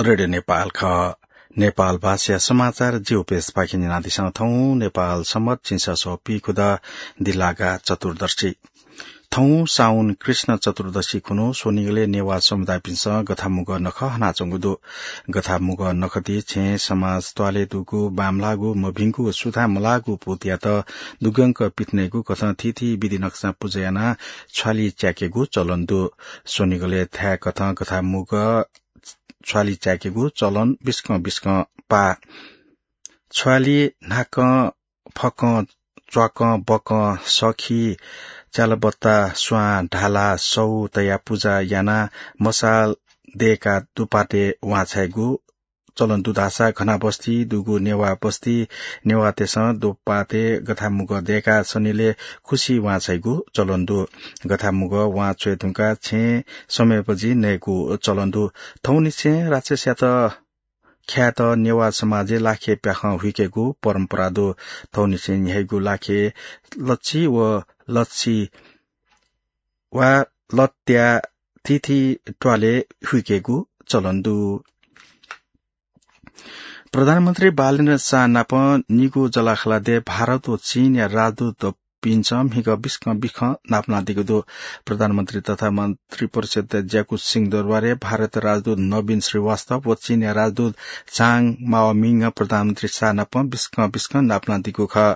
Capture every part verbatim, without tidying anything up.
रेडियो नेपाल खः। नेपाल भाषाया समाचार ज्यू पेजपाखें न्यनादिसँ। थौं नेपाल सम्बत झिंछसः पीखुदँ दिल्लागा चतुर्दशी। थौं साउन कृष्ण चतुर्दशी खुन्हु स्वनिगलय् नेवाः समुदायपिन्सं गथामुगः नखः हनाच्वंगु दु। गथामुगः नखःति छेँ समाज त्वालय् दुगु, बांमलाःगु, मभिंगु व सुथां मलाःगु पूतयात दुग्यंक पिथनेगु कथं थीथी विधि नकसां पुजा यानाः छ्वालि च्याकेगु चलन दु। स्वनिगलय् थाय् कथं गथामुगः छ्वालि च्याकेगु चलन बिस्कं बिस्कं पाः। छ्वालि न्हाकं, फकं, च्वाकं, बकं, सखी, च्यालबत्ता, स्वां, ढाला, सौ तयाः पुजा यानाः मसाल दय्काः दुपातय् वां छाइगु चलन दु धाःसा घनाबस्ती दुगु नेवाः बस्ती नेवाःतय्सं दुपातय् गथामुगः दय्काः सनिलय् खुसि वां छाइगु चलन दु। गथामुगः वां छ्वये धुंकाः छेँ समय्बजि नयेगु चलन दु। थौंनिसें राक्षसयात ख्यायेत नेवाः समाजय् लाखे प्याखं हुइकेगु परम्परा दु। थौंनिसें न्ह्याइगु लाखे लच्छि व लच्छि वा लत्या थीथी त्वालय् हुइकेगु चलन दु। प्रधानमन्त्री बालेन्द्र शाह नाप निगू जलाखलादय् भारत व चीनया राजदूत पिन्सं म्हिगः बिस्कं बिखं नापलानादीगु दु। प्रधानमन्त्री तथा मन्त्रिपरिषदय् ज्याकू सिंहदरबारय् भारतया राजदूत नवीन श्रीवास्तव व चीनया राजदूत झाङ माओमिङं प्रधानमन्त्री शाह नाप बिस्कं बिस्कं नापलानादीगु खः।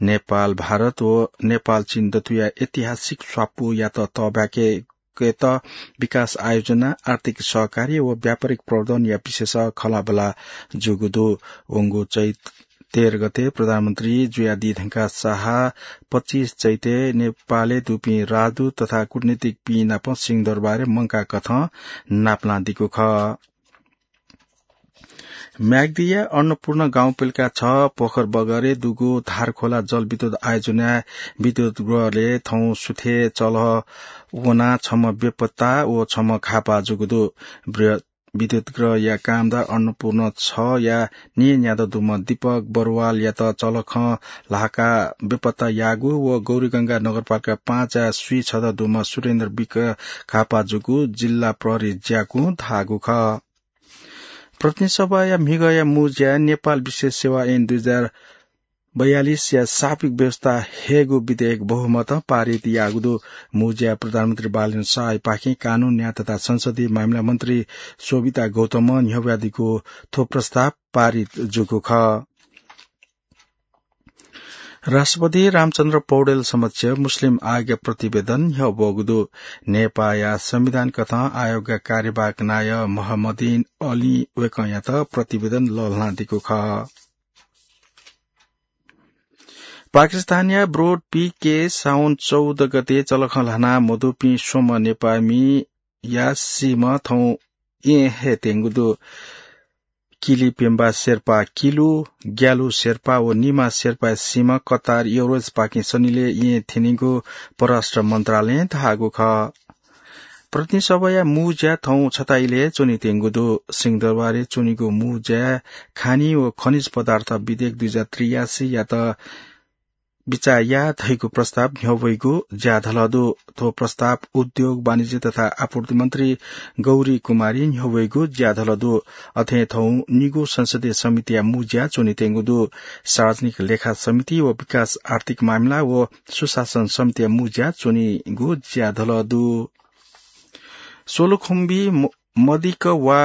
नेपाल भारत व नेपाल चीन दथुया ऐतिहासिक स्वापूयात तःबाके केत विकास आयोजना, आर्थिक सहकार्य व व्यापारिक प्रवर्धनया विषयस खँल्हाबल्हा जूगु दु। वंगु चैत तेह्र गते प्रधानमन्त्री जुयादी धुंकाः शाह पच्चिस चैतय् नेपालय् दुपिं राजदूत तथा कूटनीतिकपिं नाप सिंहदरबारय् मंकाः कथं नापलानादीगु खः। म्याग्दीया अन्नपूर्ण गाउँपालिका छ पोखर बगरय् दुगु धारखोला जलविद्युत आयोजनाय् विद्युत गृहले थौं सुथय् चलः वनाः छम्ह बेपत्ता व छम्ह घाःपाः जूगु दु। बृहत विद्युत गृहया कामदार अन्नपूर्ण छया न्येन्यादँ दुम्ह दीपक बरुवालयात चलखं ल्हाकाः बेपत्ता याःगु व गौरीगंगा नगरपालिका पाँचया स्वीछदँ दुम्ह सुरेन्द्र विक घाःपाः जूगु जिल्ला प्रहरी ज्याकुं धाःगु खः। प्रतिनिधि सभाया म्हिगःया मू ज्याय् नेपाल विशेष सेवा ऐन दुई हजार बयालिसया सापिक व्यवस्था हयेगु विधेयक बहुमतं पारित याःगु दु। मू ज्याय् प्रधानमन्त्री बालेन्द्र शाहयापाखें कानून, न्याय तथा संसदीय मामिला मन्त्री शोभिता गौतमं न्ह्यब्वयादीगु थ्व प्रस्ताव पारित जूगु खः। राष्ट्रपति रामचन्द्र पौडेल समक्ष मुस्लिम आयोगया प्रतिवेदन न्ह्यब्वःगु दु। नेपाःया संविधान कथं आयोगया कार्यवाहक नायः महमदिन अलीं वय्कःयात प्रतिवेदन लःल्हानादीगु खः। पाकिस्तानया ब्रोड पीके साउन चौध गते चलखं ल्हाना मदुपिं स्वम्ह नेपाःमिया सीम्ह थौं येँ हयेत्यंगु दु। किली पेम्बा शेर्पा किलु, ग्यालु शेर्पा व निमा शेर्पाया सीम्ह कतार एयरवेजपाखें सनिलय् येँ थ्यनीगु परराष्ट्र मन्त्रालयं धाःगु खः। प्रतिनिधि सभाया मू ज्या थौं छता इलय् च्वनेत्यंगु दु। सिंहदरबारय् च्वनीगु मू ज्याय् खानी व खनिज पदार्थ विधेयक दुई हजार त्रियासीयात बिचाः याः धइगु प्रस्ताव न्ह्यब्वइगु ज्याधलः दु। थ्व प्रस्ताव उद्योग, वाणिज्य तथा आपूर्ति मन्त्री गौरी कुमारी न्ह्यब्वइगु ज्याधलः दु। अथें थौं निगू संसदीय समितिया मू ज्या च्वनेत्यंगु दु। सार्वजनिक लेखा समिति व विकास आर्थिक मामिला व सुशासन समितिया मू ज्या च्वनीगु ज्याधलः दु। सोलुखुम्बी म-, मदिक वा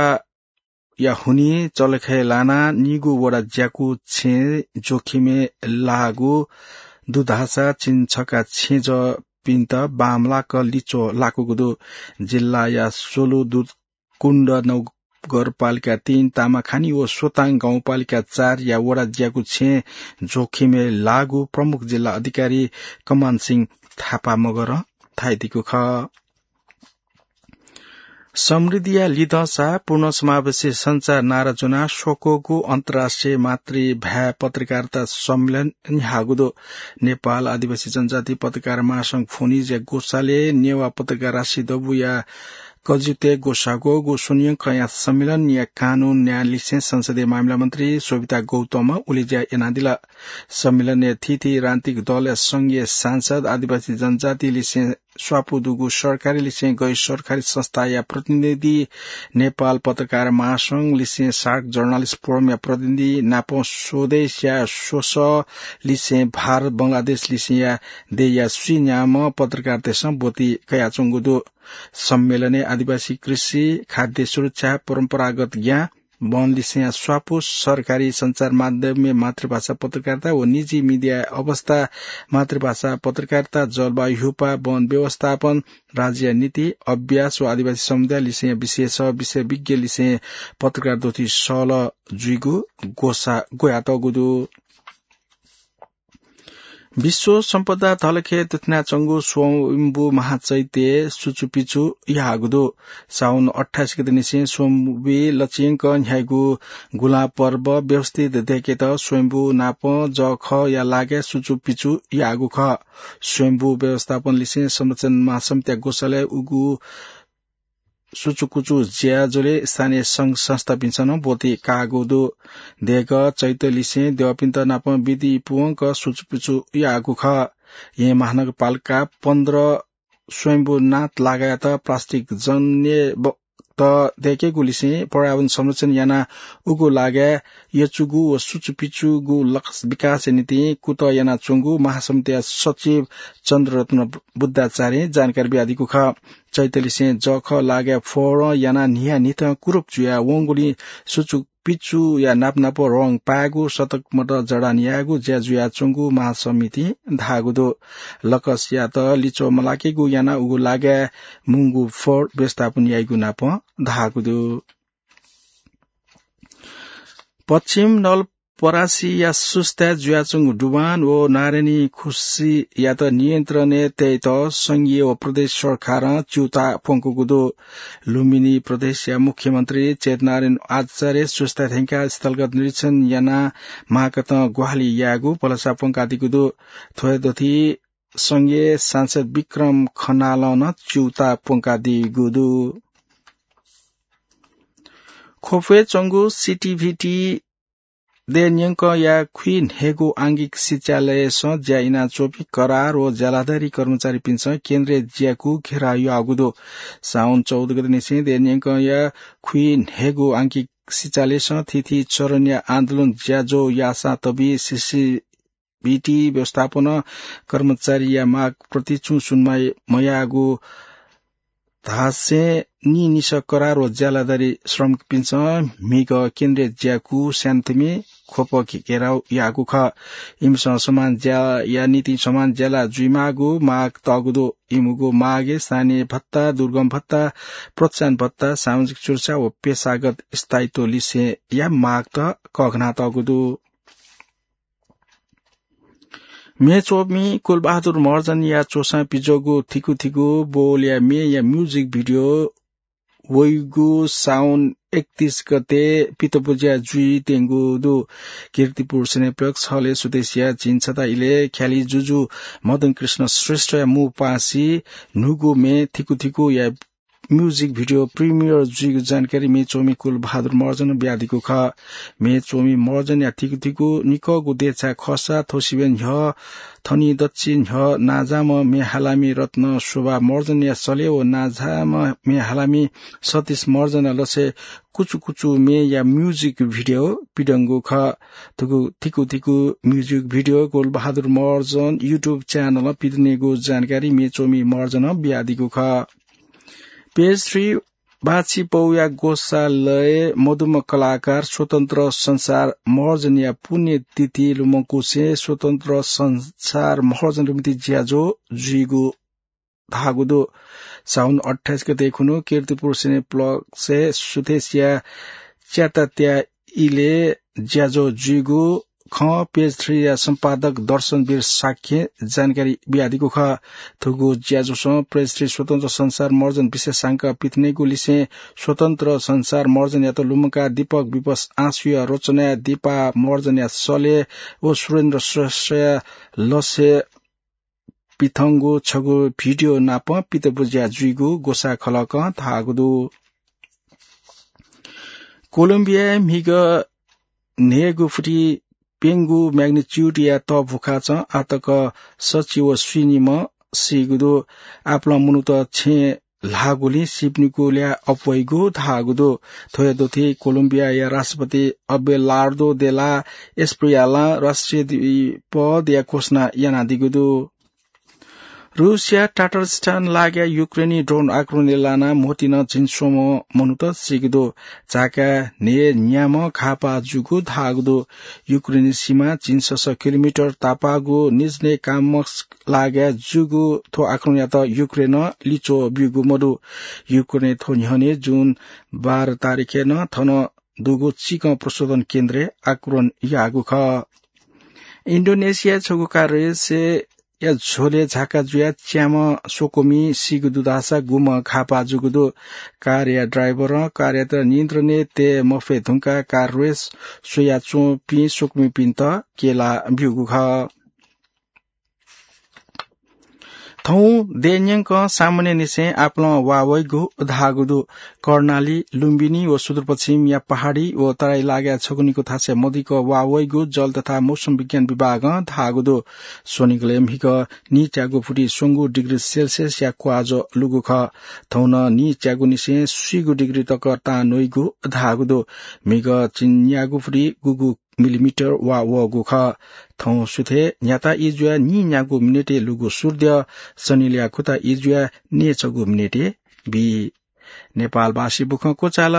या हुनिं चलखय् लानाः निगू वडा ज्याकु छेँ जोखिमय् लाःगु दु धाःसा चिन्हछका छेँजःपिन्त बांमलाक लिच्वः लाकूगु दु। जिल्लाया सोलु दुधकुण्ड नगरपालिका तीन, तामाखानी व सोताङ गाउँपालिका चारया वडा ज्याकु छेँ जोखिमय् लाःगु प्रमुख जिल्ला अधिकारी कमान सिंह थापा मगरं धाइदीगु खः। समृद्धिया लिधंसा पूर्ण समावेशी संचार नारा ज्वनाः स्वक्वःगु अन्तर्राष्ट्रिय मातृभाय् पत्रकारिता सम्मेलन न्ह्याःगु दु। नेपाल आदिवासी जनजाति पत्रकार महासंघ फोनिजया ग्वसालय् नेवाः पत्रकार राशि दबूया कजितय् ग्वसाःगु स्वनियंकया सम्मेलनया कानून न्याय लिसें संसदीय मामिला मन्त्री शोभिता गौतमं उलेज्या यानादिल। सम्मेलनय् थीथी राजनीतिक दलया संघीय सांसद, आदिवासी जनजाति लिसें स्वापू दुगु सरकारी लिसें गैर सरकारी संस्थाया प्रतिनिधि, नेपाल पत्रकार महासंघ लिसें सार्क जर्नलिस्ट फोरमया प्रतिनिधि नाप स्वदेशया स्वसः लिसें भारत बंगलादेश लिसेंया देय्‌या स्वीन्याम्ह पत्रकारतय्‌सं ब्वति कयाच्वंगु दु। सम्मेलनय् आदिवासी कृषि, खाद्य सुरक्षा, परम्परागत ज्ञान, वन लिसेंया स्वापू, सरकारी सञ्चार माध्यमय् मातृभाषा पत्रकारिता व निजी मिडियाया अवस्था, मातृभाषा पत्रकारिता, जलवायु ह्युपा, वन व्यवस्थापन, राज्यया नीति, अभ्यास व आदिवासी समुदाय लिसेंया विशेष विषय विज्ञ लिसें पत्रकार द्वथि सहलह जुइगु ग्वसा-, ग्वयातःगु दु। विश्व सम्पदा धलखय् दुथ्यानाच्वंगु स्वयम्भू महाचैत्यय् सुचुपिचु याःगु दु। साउन अट्ठाइस गते निसें स्वयम्भूइ लचिंक न्ह्याइगु गुँला पर्व व्यवस्थित दयेकेत स्वयम्भू नाप जःखःया लागाय् सुचुपिचु याःगु खः। स्वयम्भू व्यवस्थापन लिसें संरक्षण महासमितिया ग्वसालय् उगु सुचुकुचु ज्याझ्वलय् स्थानीय संघ संस्थापिन्सं नं ब्वति काःगु दु। देगः चैत लिसें देवापिन्त नाप विधि पूवंक सुचुपुचु याःगु खः। येँ महानगरपालिका पन्ध्र स्वयम्भूनाथ लागाय्‌यात प्लास्टिक जन्य ब-, त दयेकेगु लिसें पर्यावरण संरक्षण यानाः उगु लागाय् यचुगु व सुचुपिचुगु लक्ष्य विकासया निंतिं कुतः यानाच्वंगु महासमितिया सचिव चन्द्ररत्न बुद्धाचार्यं जानकारी बियादीगु खः। चैतलिसें जःखः लागाय् फोहोरं यानाः न्हियान्हिथं कुरूप जुयाः वंगुलिं सुचुपिचुया नापनाप रं पायेगु, सतक मत जडान यायेगु ज्या जुयाच्वंगु महासमितिं धाःगु दु। लकसयात लिच्वः मलाकेगु यानाः उगु लागाय् मुंगु फोहोर व्यवस्थापन याइगु नापं धाःगु दु। पश्चिम नवलपरासीया सुस्ताय् जुयाच्वंगु डुबान व नारायणी खुसीयात नियन्त्रणय् तयेत संघीय व प्रदेश सरकारं च्यूताः प्वंकूगु दु। लुम्बिनी प्रदेशया मुख्यमन्त्री चैतनारायण आचार्यं सुस्ता थ्यंकाः स्थलगत निरीक्षण यानाः माकथं ग्वाहालि यायेगु भलसा प्वंकादीगु दु। थ्व दथुइ संघीय सांसद विक्रम खनालं नं च्यूताः प्वंकादीगु दु। ख्वपय् च्वंगु सिटिभिटी दय्‌न्यंकया खुइन्हय्‌गू आंगिक सिचालयसं ज्या यानाच्वंपिं करार व ज्यालाधारी कर्मचारीपिन्सं केन्द्रय् ज्याकू घेरा याःगु दु। साउन चौध गते निसें दय्‌न्यंकया खुइन्हय्‌गू आंगिक सिचालयसं थीथी चरणया आन्दोलन ज्याझ्वः याःसां तबी सिसि भिटी व्यवस्थापनं कर्मचारीया माग प्रति छुं सुनवाई मयाःगु धासें निनिसः करार व ज्यालाधारी श्रमिकपिन्सं म्हिगः केन्द्रय् ज्याकू स्यानाथुमि ख्वप घेराउ याःगु खः। इमिसं समान ज्याया निंतिं समान ज्याला जुइमाःगु माग तःगु दु। इमिगु मागय् स्थानीय भत्ता, दुर्गम भत्ता, प्रोत्साहन भत्ता, सामाजिक सुरक्षा व पेशागत स्थायित्व लिसेंया मागत कःघानातःगु दु। म्ये च्वमि कुलबहादुर महर्जनया च्वसां पिज्वःगु थिकुथिकु बोलया म्येया music video वइगु साउन एकतीस गते पितबुज्या जुइत्यंगु दु। कीर्तिपुर सिनेप्लेक्स हलय् सुथसिया झिंछता इलय् ख्यालि जुजु मदन कृष्ण श्रेष्ठया मू पासि न्हूगु म्ये थिकुथिकुया music video premiere जुइगु जानकारी म्ये च्वमि कुलबहादुर महर्जनं बियादीगु खः। म्ये च्वमि महर्जनया थिकुथिकु निकःगु देछाय् खःसा थ्व सिबें न्ह्यः थनि दच्छि न्ह्यः नांजाःम्ह म्ये हालामि रत्न शोभा महर्जनया सलय् व नांजाःम्ह म्ये हालामि सतीश महर्जनया लसय् कुचुकुचु म्येया music video पिदंगु खः। थुगु थिकुथिकु music video Kulbahadur Maharjan YouTube channel पिदनेगु जानकारी म्ये च्वमि महर्जनं बियादीगु खः। Page three बाछिपौया ग्वसालय् मदुम्ह कलाकार स्वतन्त्र संसार महर्जनया पुण्यतिथि लुमंकुसें स्वतन्त्र संसार महर्जन लुमति ज्याझ्वः जुइगु धाःगु दु। साउन अट्ठाइस गते खुन्हु कीर्तिपुर सिनेप्लेक्सय् सुथसिया च्यातात्या इलय् ज्याझ्वः जुइगु खँ Page three या सम्पादक दर्शनवीर शाक्यं जानकारी बियादीगु खः। थुगु ज्याझ्वलं Page three स्वतन्त्र संसार महर्जन विशेषांक पिथनेगु लिसें स्वतन्त्र संसार महर्जनयात लुमंकाः दीपक विवश आँसुया रचनाय् दीपा महर्जनया सलय् व सुरेन्द्र श्रेष्ठया लसय् पिथंगु छगू video नाप पितबुज्या जुइगु ग्वसाः खलकं धाःगु दु। कोलम्बियाय् म्हिगः न्हय्‌गू फुति प्यंगू magnitude या तःभुखाचं आःतक सच्छि व स्वीनिम्ह सीगु दु। आपालं मनूत छेँ ल्हाःगुलिं सिपनिगु ल्याः अप्वइगु धाःगु दु। थ्वया दुथि कोलम्बियाया राष्ट्रपति अबेलार्दो दे ला एस्प्रियालां राष्ट्रिय द्वीपया घोषणा यानादीगु दु। रूसया टाटरस्तान लागाय् युक्रेनी ड्रोन आक्रमणय् लानाः म्होतिं झिंस्वम्ह मनूत सीगु दु। झाकाय् न्हय्‌न्याम्ह घाःपाः जूगु धाःगु दु। युक्रेनी सीमा झिंसस किलोमिटर तापाःगु निज्नेकाम्स्क लागाय् जूगु थ्व आक्रमणयात युक्रेनं लिच्वः ब्यूगु मदु। युक्रेनं थ्व न्ह्यःने जुन बाह्र तारिखय् नं थन दुगु चिकं प्रशोधन केन्द्रय् आक्रमण याःगु खः। इन्डोनेसियाय् छगू कार रेसय् या झ्वलय् झाका जुयाः च्याम्ह स्वकुमि सीगु दु धाःसा गुम्ह घाःपाः जूगु दु। कारया ड्राइभरं कारयात नियन्त्रणय् तये मफये धुंकाः कार रेस स्वयाच्वंपिं स्वकुमिपिन्त क्यला ब्यूगु खः। थौं देय्‌न्यंकं सामान्यनिसें आपालं वाः वइगु धाःगु दु। कर्णाली, लुम्बिनी व सुदूरपश्चिमया पहाडी व तराई लागाय् छगू निगू थासय् मदिक्क वाः वइगु जल तथा मौसम विज्ञान विभागं धाःगु दु। स्वनिगलय् म्हिगः नीच्यागू फुति स्वंगू डिग्री सेल्सियसया क्वाःज्वः लूगु खः। थौं नं नीच्यागूनिसें स्वीगू डिग्री तक तां न्वइगु धाःगु दु। म्हिगः चिन्यागू फुति गुगू मिलिमिटर वाः वःगु खः। थौं सुथय् न्ह्याता ई जुयाः नीन्यागू मिनेटय् लूगु सूर्द्यः सनिलया खुता ई जुयाः नीछगू मिनेटय् बी। नेपालभाषी बुखँ क्वचाल।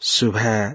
सुभाय्।